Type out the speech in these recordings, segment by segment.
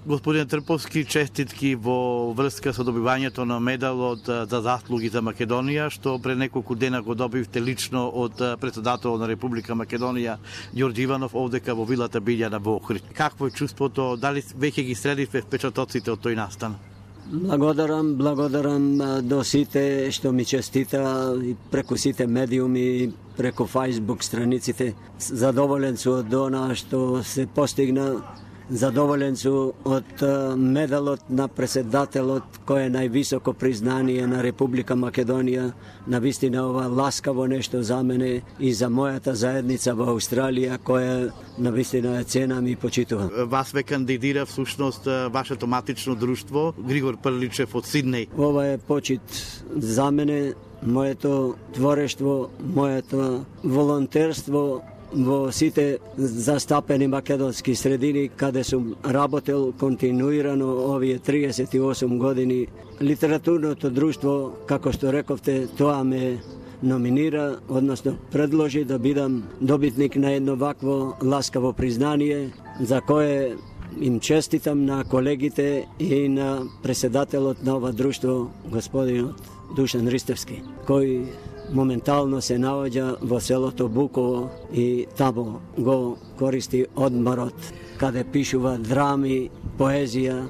Господин Трповски, честитки во врска со добивањето на медалот за заслуги за Македонија, што пред неколку дена го добивте лично од председател на Република Македонија Ѓорѓе Иванов овдека во вилата Билјана во Охрид. Какво е чувството? Дали веќе ги следивте впечатоците од тој настан? Благодарам до сите што ми честита и преку сите медиуми, преку Facebook страниците. Задоволен сум од она што се постигна. Задоволен сум од медалот на председателот, кој е највисоко признание на Република Македонија. Навистина ова ласкаво нешто за мене и за мојата заедница во Австралија, која навистина е ценам и почитувам. Вас ве кандидира всушност вашето матично друштво Григор Прличев од Сиднеј. Ова е почит за мене, моето творештво, моето волонтерство во сите застапени македонски средини каде сум работел континуирано овие 38 години. Литературното друштво, како што рековте, тоа ме номинира, односно предложи да бидам добитник на едно вакво ласкаво признание, за кое им честитам на колегите и на председателот на ова друштво, господинот Душан Ристевски, кој моментално се наоѓа во селото Буково и таму го користи одморот, каде пишува драми, поезија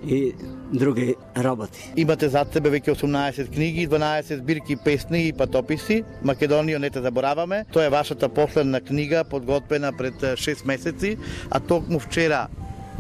и други работи. Имате зад себе веќе 18 книги, 12 збирки песни и патописи. Македонија не те забораваме. Тоа е вашата последна книга, подготвена пред 6 месеци, а токму вчера,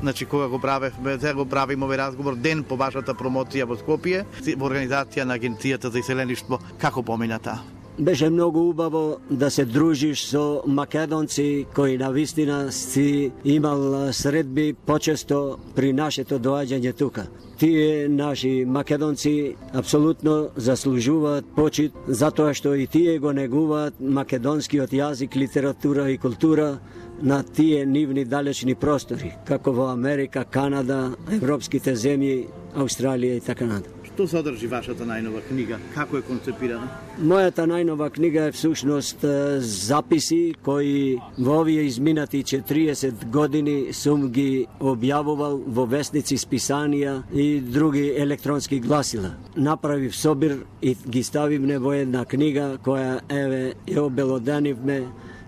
значи кога го правиме овој разговор, ден по вашата промоција во Скопје, во организација на Агенцијата за иселеништво, како помината? Беше многу убаво да се дружиш со македонци кои навистина си имал средби почесто при нашето доаѓање тука. Тие наши македонци апсолутно заслужуваат почит затоа што и тие го негуваат македонскиот јазик, литература и култура на тие нивни далечни простори, како во Америка, Канада, европските земји, Австралија и така натаму. Што содржи вашата најнова книга? Како е концепирана? Мојата најнова книга е всушност записи кои во овие изминати 40 години сум ги објавувал во весници, списанија и други електронски гласила. Направив собир и ги ставивме во една книга која еве ја обелоданивме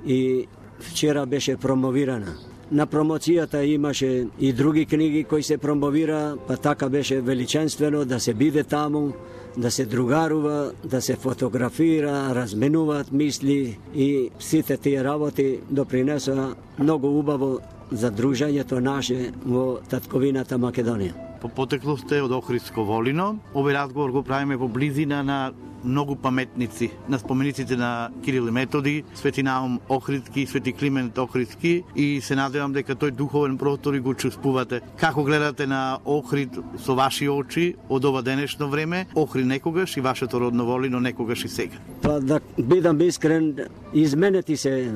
и вчера беше промовирана. На промоцијата имаше и други книги кои се промовира, па така беше величенствено да се биде таму, да се другарува, да се фотографира, разменуваат мисли и сите тие работи допринесоа многу убаво за дружењето наше во татковината Македонија. По потекло сте од Охридско Волино. Овој разговор го правиме во близина на многу паметници, на спомениците на Кирил и Методи, Свети Наум Охридски, Свети Климент Охридски, и се надевам дека тој духовен простор и го чувствувате. Како гледате на Охрид со ваши очи од ова денешно време? Охрид некогаш и вашето родно Волино некогаш и сега. Па да бидам искрен, изменети се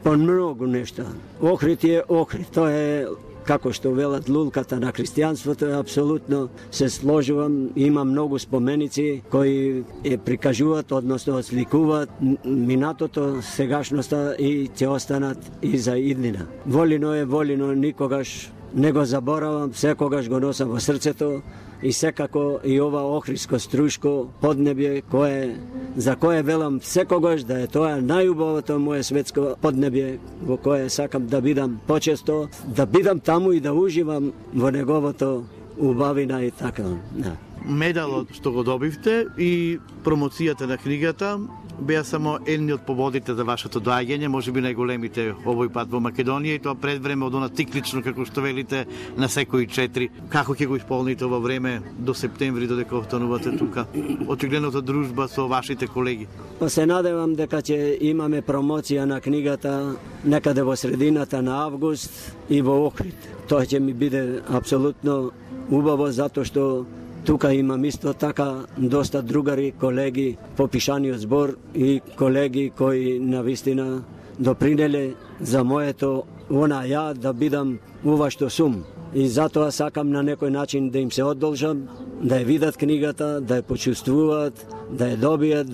по многу нешта. Охрид е Охрид, тоа е како што велат лулката на христијанството, апсолутно се сложувам. Има многу споменици кои ја прикажуваат, односно осликуваат минатото, сегашноста и ќе останат и за иднина. Волино е Волино, никогаш не го заборавам, секогаш го носам во срцето и секако и ова охридско струшко поднебје за кое велам секогаш да е тоа најубавото мое светско поднебје во кое сакам да бидам почесто, да бидам таму и да уживам во неговото убавина и така. Да. Медалот што го добивте и промоцијата на книгата беа само едни од поводите за вашето доаѓање, можеби најголемите овој пат во Македонија, и тоа пред време од она циклично, како што велите, на секои 4. Како ќе го исполните ова време до септември, додека останувате тука? Очигледната дружба со вашите колеги. Па се надевам дека ќе имаме промоција на книгата некаде во средината на август и во Охрид. Тоа ќе ми биде апсолутно убаво, затоа што тука имам исто така доста другари, колеги по пишаниот збор и колеги кои навистина допринеле за моето ја да бидам ова што сум. И затоа сакам на некој начин да им се одолжам, да ја видат книгата, да ја почувствуваат, да ја добијат,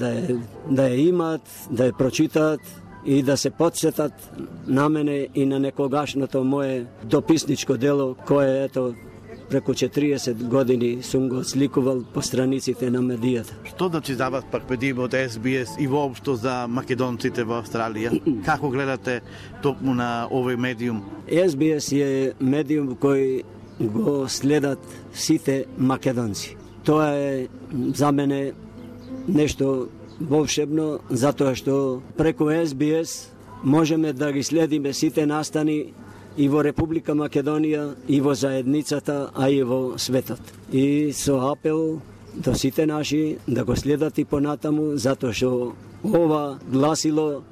да ја имаат, да ја прочитаат и да се подсетат на мене и на некогашното мое дописничко дело, кое ето преку 40 години сум го сликувал по страниците на медијата. Што значи за вас пак медиум од SBS и воопшто за македонците во Австралија? Како гледате токму на овој медиум? SBS е медиум кој го следат сите македонци. Тоа е за мене нешто волшебно, затоа што преку SBS можеме да ги следиме сите настани и во Република Македонија, и во заедницата, а и во светот. И со апел до сите наши да го следат и понатаму, затоа што ова гласило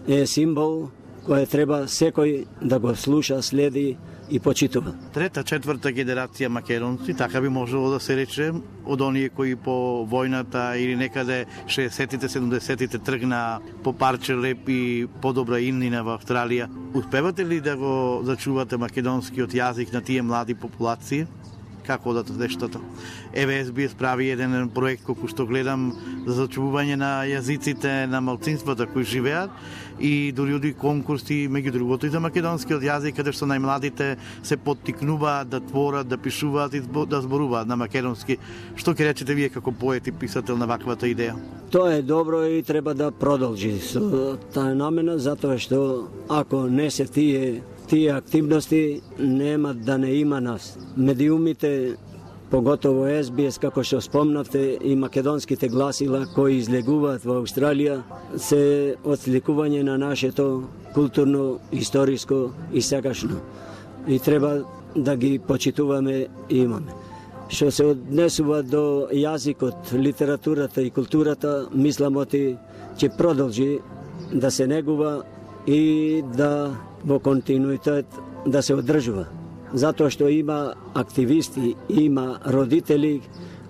е символ кој треба секој да го слуша, следи и почитува. Трета, четврта генерација македонци, така би можело да се рече, од оние кои по војната или некаде 60-тите, 70-тите тргна по парче леп и подобра имнина во Австралија. Успевате ли да го зачувате македонскиот јазик на тие млади популации? Како одат нештата? Еве SBS прави еден проект колку што гледам за зачувување на јазиците на малцинствата кои живеат и дури конкурси меѓу другото и за македонскиот јазик каде што најмладите се поттикнуваат да творат, да пишуваат и да зборуваат на македонски. Што ќе речете вие како поет и писател на ваквата идеја? Тоа е добро и треба да продолжи со таа намена, затоа што ако не се тие активности нема да не има нас. Медиумите, поготово SBS, како што спомнавте, и македонските гласила кои излегуваат во Австралија, се отсликување на нашето културно, историско и сегашно. И треба да ги почитуваме и имаме. Што се однесува до јазикот, литературата и културата, мислам оти ќе продолжи да се негува и да во континуитет да се одржува. Затоа што има активисти, има родители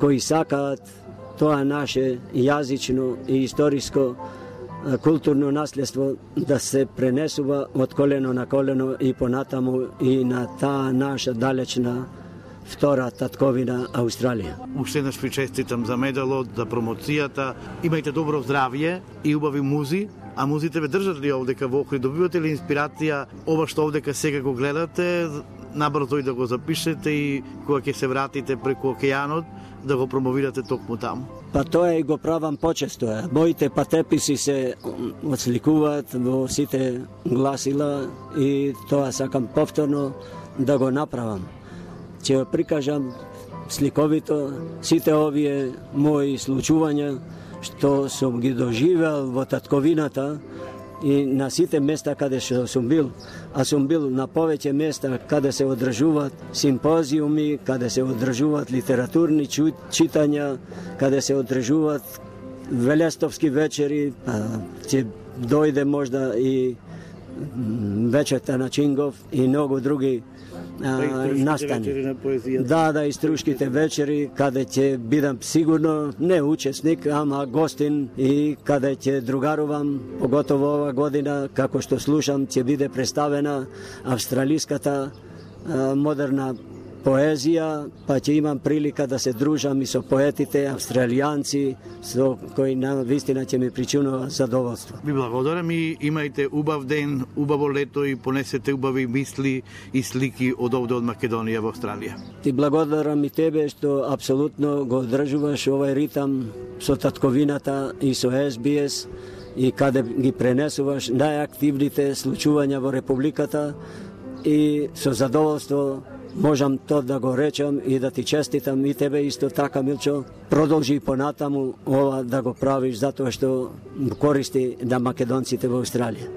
кои сакаат тоа наше јазично и историско културно наследство да се пренесува од колено на колено и понатаму и на таа наша далечна втора татковина Австралија. Уште еднаш ви честитам за медалот, за промоцијата. Имајте добро здравје и убави музи. А музите ве држат ли овдека во Охрид? Добивате ли инспирација ова што овдека сега го гледате, набрзо и да го запишете и кога ќе се вратите преку океанот, да го промовирате токму таму? Па тоа и го правам почесто. Моите патеписи се отсликуваат во сите гласила и тоа сакам повторно да го направам. Ќе прикажам сликовито сите овие мои случувања што сум ги доживеал во татковината и на сите места каде што сум бил, а сум бил на повеќе места каде се одржуваат симпозиуми, каде се одржуваат литературни читања, каде се одржуваат велестовски вечери, ќе дојде можда и вечерта на Чингов и многу други настани. Да, и струшките вечери, каде ќе бидам сигурно не учесник, ама гостин и каде ќе другарувам, поготово ова година, како што слушам, ќе биде представена австралиската модерна поезија, па ќе имам прилика да се дружам и со поетите австралијанци, со кои на вистина ќе ми причинува задоволство. Ви благодарам и имајте убав ден, убаво лето и понесете убави мисли и слики од овде од Македонија во Австралија. Ти благодарам и тебе што апсолутно го одржуваш овај ритам со татковината и со SBS и каде ги пренесуваш најактивните случувања во Републиката и со задоволство можам тоа да го речам и да ти честитам и тебе исто така, Милчо. Продолжи понатаму ова да го правиш затоа што користи на македонците во Австралија.